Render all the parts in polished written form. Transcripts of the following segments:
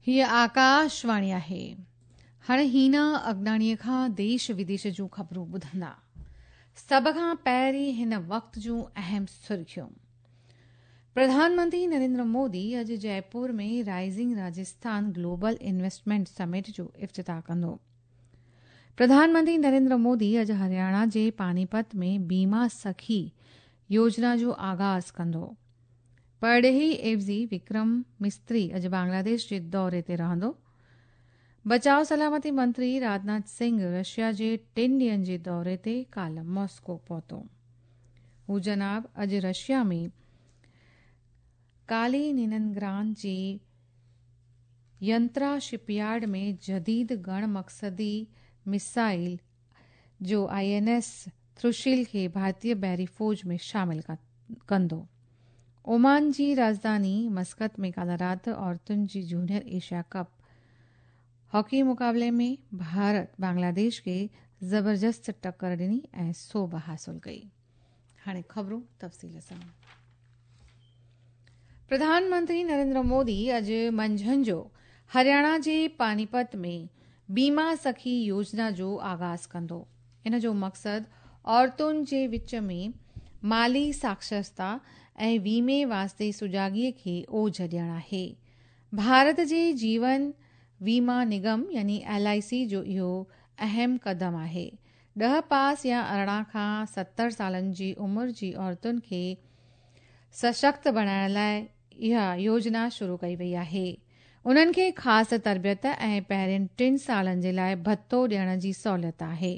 هيء آڪاشواڻي آهي. هاڻي هينا اگناڻيء کان ديش وديش جون خبرون ٻڌندا. سڀ کان پهرين هن وقت جون اهم سرخيون. پرڌان منتري نريندر مودي اڄ Jaipur ۾ rising Rajasthan global investment summit جو افتتاح ڪندو. پرڌان منتري نريندر مودي اڄ هرياڻا جي پانيپت ۾ بيما سکي يوجنا جو آغاز ڪندو. پرڏيهي عيوضي وڪرم مستري اڄ بنگلاديش جي دوري تي رهندو. بچاء سلامتي منتري راجناٿ سنگهه رشيا جي ٽن ڏينهن جي دوري تي ڪالهه ماسڪو پهتو. هو جناب اڄ رشيا ۾ ڪاليننگراد جي ينترا شپ يارڊ ۾ جديد گهڻ مقصدي ميزائل جو I N S ٿرشيل کي ڀارتي بحري فوج ۾ شامل ڪندو. اومان جي راڄڌاني مسقط ۾ ڪالهه رات عورتن جي جونيئر ايشيا ڪپ هاڪي مقابلي ۾ ڀارت بنگلاديش کي زبردست ٽڪر ڏني ۽ سوڀ حاصل ڪئي. هاڻي خبرون تفصيل سان. پرڌان منتري نريندر مودي اڄ منجهند جو هرياڻا جي پانيپت ۾ بيما سکي يوجنا جو آغاز ڪندو. ان جو مقصد عورتن جي وچ ۾ مالي ساڪشرتا ۽ ويمي واسطي سجاڳي کي اوج ڏيڻ آهي. ڀارت جي جيون ويما نگم يعني ايل I سي جو اهو اهم قدم آهي. ڏهه پاس يا 18 کان 70 سالن جي عمر جي عورتن کي سشڪت بڻائڻ لاء اها يوجنا شروع ڪئي وئي آهي. انهن کي خاص تربيت ۽ پهرين ٽن سالن جي لاء ڀتو ڏيڻ جي سهولت آهي.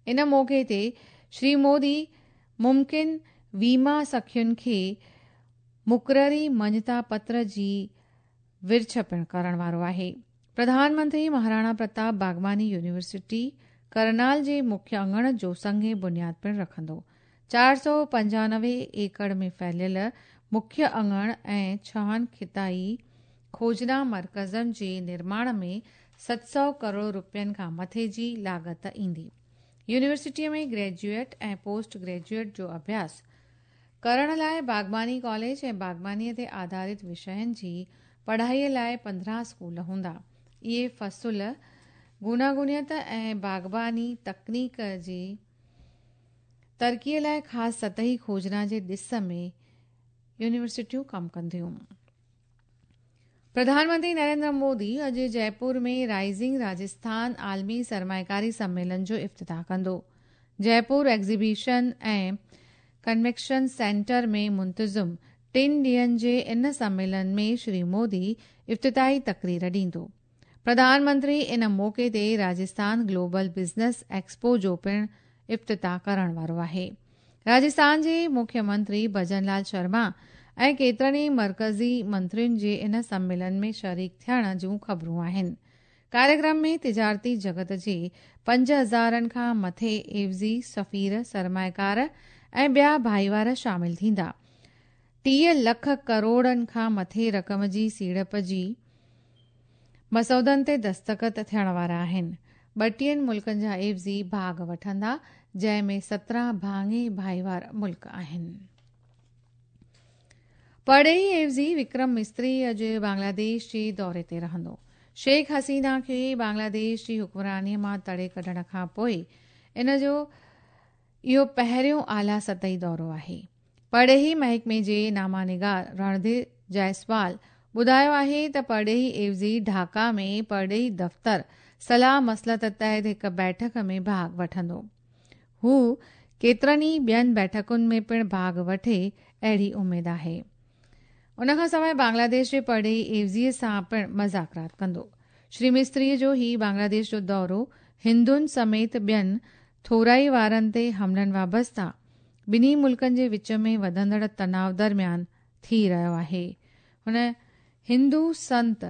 ان موقعي تي شري مودي ممڪن ويما سکين کي مقرري مڃتا پتر جي ورڇ پڻ ڪرڻ وارو آهي. پرڌان منتري مهاراڻا پرتاپ باغباني يونيورسٽي ڪرنال جي مکيه اڱڻ جو سنگ بنياد پڻ رکندو. 495 ايڪڙ ۾ ڦهليل مکيه اڱڻ ۽ ڇهن خطائي کوجنا مرڪزن جي نرماڻ ۾ 700 ڪروڙ رپين کان مٿي جي لاڳت ايندي. يونيورسٽيء ۾ گريجوئيٽ ۽ پوسٽ گريجوئيٽ جو اڀياس ڪرڻ لاء باغباني ڪاليج ۽ باغبانيء تي آڌارت وشين جي پڙهائيء لاء 15 اسڪول هوندا. اهي فصل گوناگونيت ۽ باغباني تڪنيڪ جي ترقيء لاء خاص سطحي کوجنا جي ڏس ۾ يونيورسٽيون ڪم ڪنديون. پرڌان منتري نريندر مودي اڄ جئپور ۾ رائزنگ راجسٿان عالمي سرمائيڪاري سميلن جو افتتاح ڪندو. جئپور ايگزيبيشن ۽ ڪنويڪشن سينٽر ۾ منتظم ٽن ڏينهن جي ان سميلن ۾ شري مودي افتتاحي تقرير ڏيندو. پرڌان منتري ان موقعي تي راجسٿان گلوبل بزنس ايڪسپو جو پڻ افتتاح ڪرڻ وارو آهي. راجسٿان جي مکيه منتري ڀجن لال شرما ۽ ڪيترن ئي مرڪزي منترين جي ان سميلن ۾ شريڪ ٿيڻ جون خبرون آهن. ڪاريڪرم ۾ تجارتي جڳت جي پنج هزارن کان مٿي عيوضي، سفير، سرمائيڪار ۽ ٻيا ڀائيوار شامل ٿيندا. 30 لک ڪروڙن کان مٿي رقم جي سيڙپ جي مسودن تي دستخط ٿيڻ وارا آهن. ٻٽيهن ملڪن جا عيوضي ڀاڳ وٺندا، جنهن ۾ 17 ڀاڱي ڀائيوار ملڪ آهن. پرڏيهي عيوضي وڪرم مستري اڄ بنگلاديش جي دوري تي رهندو. شيخ حسينه کي بنگلاديش جي حڪمراني مان تڙي ڪڍڻ کان پوء ان جو اهو پهريون اعليٰ سطحي دورو آهي. پرڏيهي محڪمي جي نامه نگار رڻڌير جائسوال ٻڌايو آهي ته پرڏيهي عيوضي ڍاڪا ۾ پرڏيهي دفتر صلاح مصلحت تحت هڪ بيٺڪ ۾ ڀاڳ وٺندو. هو ڪيترن ئي ٻين بيٺڪن ۾ پڻ ڀاڳ وٺي اهڙي اميد آهي. ان کان سواء بنگلاديش جي پرڏيهي عيوضي سان پڻ مذاڪرات ڪندو. شري مستري جو هي بنگلاديش جو دورو هندن سميت ٻين ٿورائي وارن تي حملن وابسته ٻنهي ملڪن جي وچ ۾ وڌندڙ تناء درميان ٿي رهيو آهي. هن هندو سنت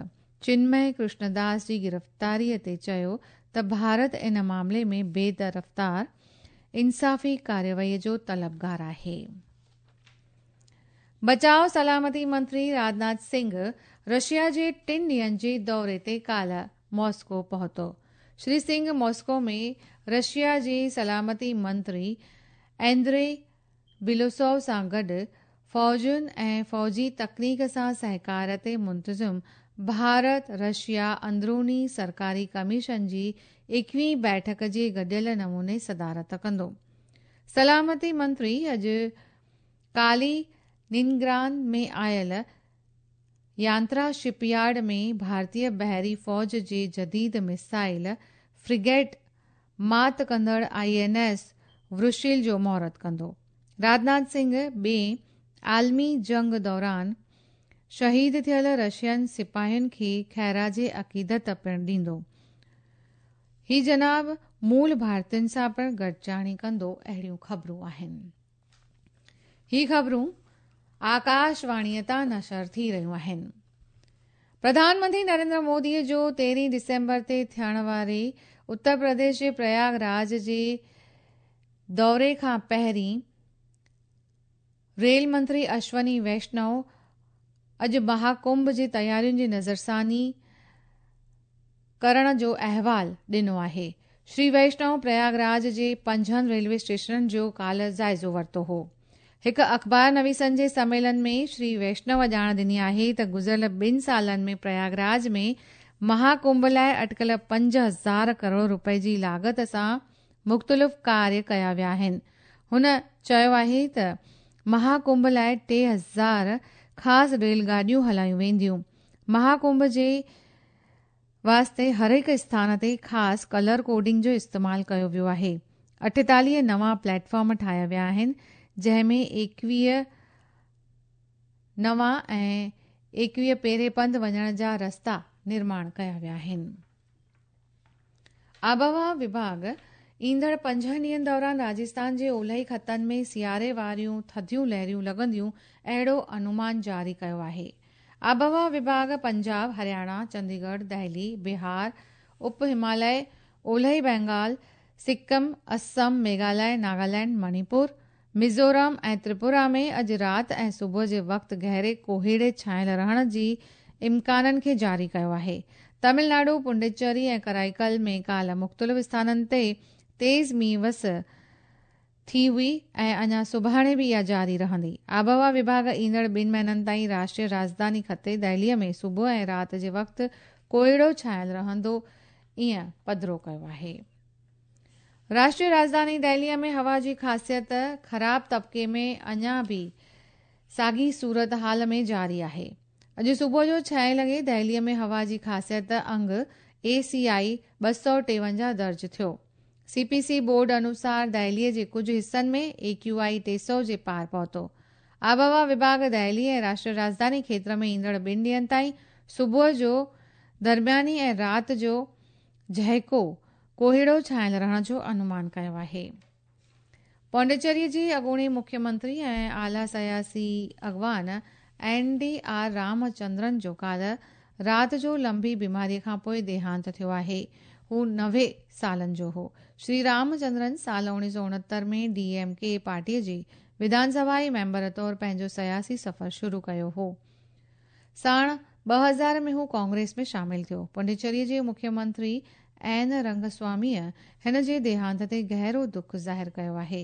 چنمئي ڪرشنداس جي گرفتاري تي چيو ته ڀارت ان معاملي ۾ بي طرفدار انصافي ڪارروائي جو طلبگار آهي. بچاء سلامتي منتري راجناٿ سنگهه رشيا جي ٽن ڏينهن جي دوري تي ڪالهه ماسڪو پهتو. شري سنگهه ماسڪو ۾ رشيا جي سلامتي منتري ايندري بيلوسوف سان گڏ فوجن ۽ فوجي تڪنيڪ سان سهڪار تي منتظم ڀارت رشيا اندروني سرڪاري ڪميشن جي ايڪويهين بيٺڪ جي گڏيل نموني صدارت ڪندو. سلامتي منتري اڄ ڪالي ننگراد ۾ آيل يانترا شپ يارڊ ۾ ڀارتي بحري فوج جي جديد ميزائل فريگيٽ مات ڪندڙ I N S ورشيل جو مهورت ڪندو. راجناٿ سنگهه ٻئين عالمي جنگ دوران شهيد ٿيل رشين سپاهين کي خراج عقيدت پڻ ڏيندو. هي جناب مول ڀارتين سان پڻ گڏجاڻي ڪندو اهڙيون خبرون آهن. هي خبرون آڪاشواڻيء تان نشر ٿي رهيون آهن. پرڌان منتري نريندر مودي جو تيرهين ڊسمبر تي ٿيڻ واري اتر پرديش جي پرياگ راج جي دوري کان پهرين ريل منتري اشوني ويشنو اڄ مهاڪنڀ جي تيارين جي نظرثاني ڪرڻ جو احوال ڏنو آهي. شري ويشنو پرياگ راج جي پنجن ريلوي اسٽيشنن جو ڪالهه جائزو ورتو هو. هڪ اخبار نويسن جي سميلن ۾ شري ويشنو ڄاڻ ڏني آهي ته گذريل ٻن سالن ۾ پرياگ راج ۾ مهاڪنڀ لاء اٽڪل 5000 ڪروڙ رپئي جي لاڳت سان مختلف ڪاريه ڪيا ويا آهن. هن چيو آهي ته مهاڪنڀ لاء 3000 خاص ريل گاڏيون هلايون وينديون. مهاڪنڀ جي واسطي هر هڪ اسٿان تي خاص ڪلر ڪوڊنگ جو استعمال ڪيو ويو آهي. 48 نوان پليٽ فارم ٺاهيا ويا آهن، جنهن ۾ 21 نوان ۽ 21 پيري پنڌ وڃڻ جا رستا نرماڻ ڪيا ويا آهن. آبهوا وڀاڳ ايندڙ پنجن ڏينهن دوران راجستان جي اولهي خطن ۾ سياري واريون ٿڌيون لهريون لڳنديون اهڙو انومان جاري ڪيو آهي. آبهوا وڀاڳ پنجاب، هرياڻا، چنديڳڙهه، دهلي، بهار، اپ هماليه، اولهي بينگال، سڪم، اسم، ميگهاليه، ناگالينڊ، مڻيپور، ميزورم ۽ تريپورا ۾ اڄ رات ۽ صبح جي وقت گهري ڪوهيڙي ڇانيل رهڻ جي امڪانن کي جاري ڪيو آهي. تامل ناڊو، پنڊيچري ۽ ڪرائيڪل ۾ ڪالهه مختلف اسٿانن تي تيز مينهن وس ٿي هئي ۽ اڃا سڀاڻي به اها جاري رهندي. آبهوا وڀاڳ ايندڙ ٻن مهينن تائين راشٽريه راڄڌاني خطي دهلي ۾ صبح ۽ رات جي وقت ڪوهيڙو ڇانيل رهندو ائين پڌرو ڪيو آهي. راشٽريه راڄڌاني دهليء ۾ هوا جي خاصيت خراب طبقي ۾ اڃا به ساڳي صورتحال ۾ جاري آهي. اڄ صبح جو ڇهين لڳي دهليء ۾ هوا جي خاصيت انگ اي سي آء 253 درج ٿيو. سي پي سي بورڊ انوسار دهليء جي ڪجهه حصن ۾ اي ڪيو آء 300 جي پار پهتو. آبهوا وڀاڳ دهلي ۽ راشٽريه راڄڌاني کيتر ۾ ايندڙ ٻن ڏينهن تائين صبح جو درمياني ۽ رات جو جهڪو ڪوهيڙو ڇانيل رهڻ جو انومان ڪيو آهي. پانڊيچيري جي اڳوڻي مکيه منتري ۽ اعليٰ سياسي اڳواڻ N D R Ram Chandran جو ڪالهه رات جو لنبي بيماري کانپوء ديهانت ٿيو آهي. هو 90 سالن جو هو. شري رام چندرن سال 1969 ۾ ڊي ايم ڪي پارٽي جي وڌان سڀائي ميمبر طور پنهنجو سياسي سفر شروع ڪيو هو. ساڻ 2000 ۾ هو ڪانگريس ۾ شامل ٿيو. پنڊيچيريء جي مکيه منتري اين رنگسواميء هن جي ديهانت تي گهرو دک ظاهر ڪيو آهي.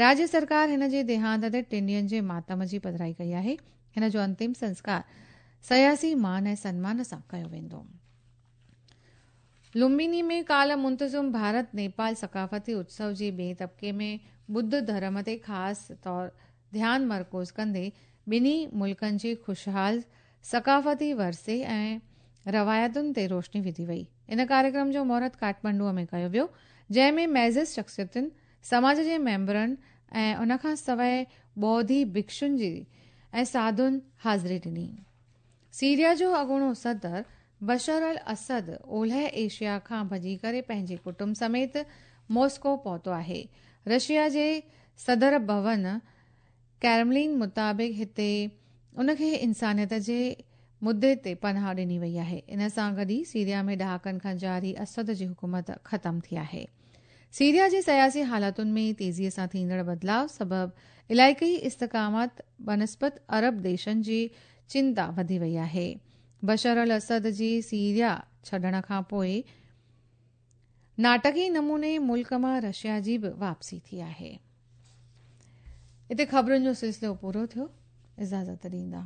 راجيه سرڪار هن جي ديهانت تي ٽن ڏينهن جي ماتم جي پڌرائي ڪئي آهي. هن جو انتم سنسڪار سياسي مان ۽ سنمان سان ڪيو ويندو. لمبيني ۾ ڪالهه منتظم ڀارت نيپال ثقافتي اتسو جي ٻئي طبقي ۾ ٻڌ ڌرم تي خاص طور ڌيان مرڪوز ڪندي ٻنهي ملڪن جي خوشحال ثقافتي ورثي ۽ روايتن تي روشني وڌي وئي. ان ڪاريڪرم جو مهورت ڪاٺمنڊوء ۾ ڪيو ويو، جنهن ۾ معزز شخصيتن، سماج جي ميمبرن ۽ ان کان سواء ٻوڌي ڀڪشن جي ۽ ساڌن حاضري ڏني. سيريا جو اڳوڻو صدر بشر الاسد اولهه ايشيا کان ڀڄي ڪري پنهنجي ڪٽنب سميت ماسڪو پهتو آهي. رشيا جي صدر ڀون ڪريملن مطابق هتي ان کي انسانيت جي مدي تي پناهه ڏني وئي آهي. ان سان گڏ ئي سيريا ۾ ڏهاڪن کان جاري اسد جي حڪومت ختم ٿي آهي. سيريا جي سياسي حالتن ۾ تيزي سان ٿيندڙ بدلاء سبب علائقائي استحڪامات بنسبت عرب ديشن جي چنتا وڌي وئي آهي. بشر الاسد جي سيريا ڇڏڻ کان پوء ناٽڪي نموني ملڪ مان رشيا جي به واپسي ٿي آهي. اتي خبرن جو سلسلو پورو ٿيو. اجازت ڏيندا.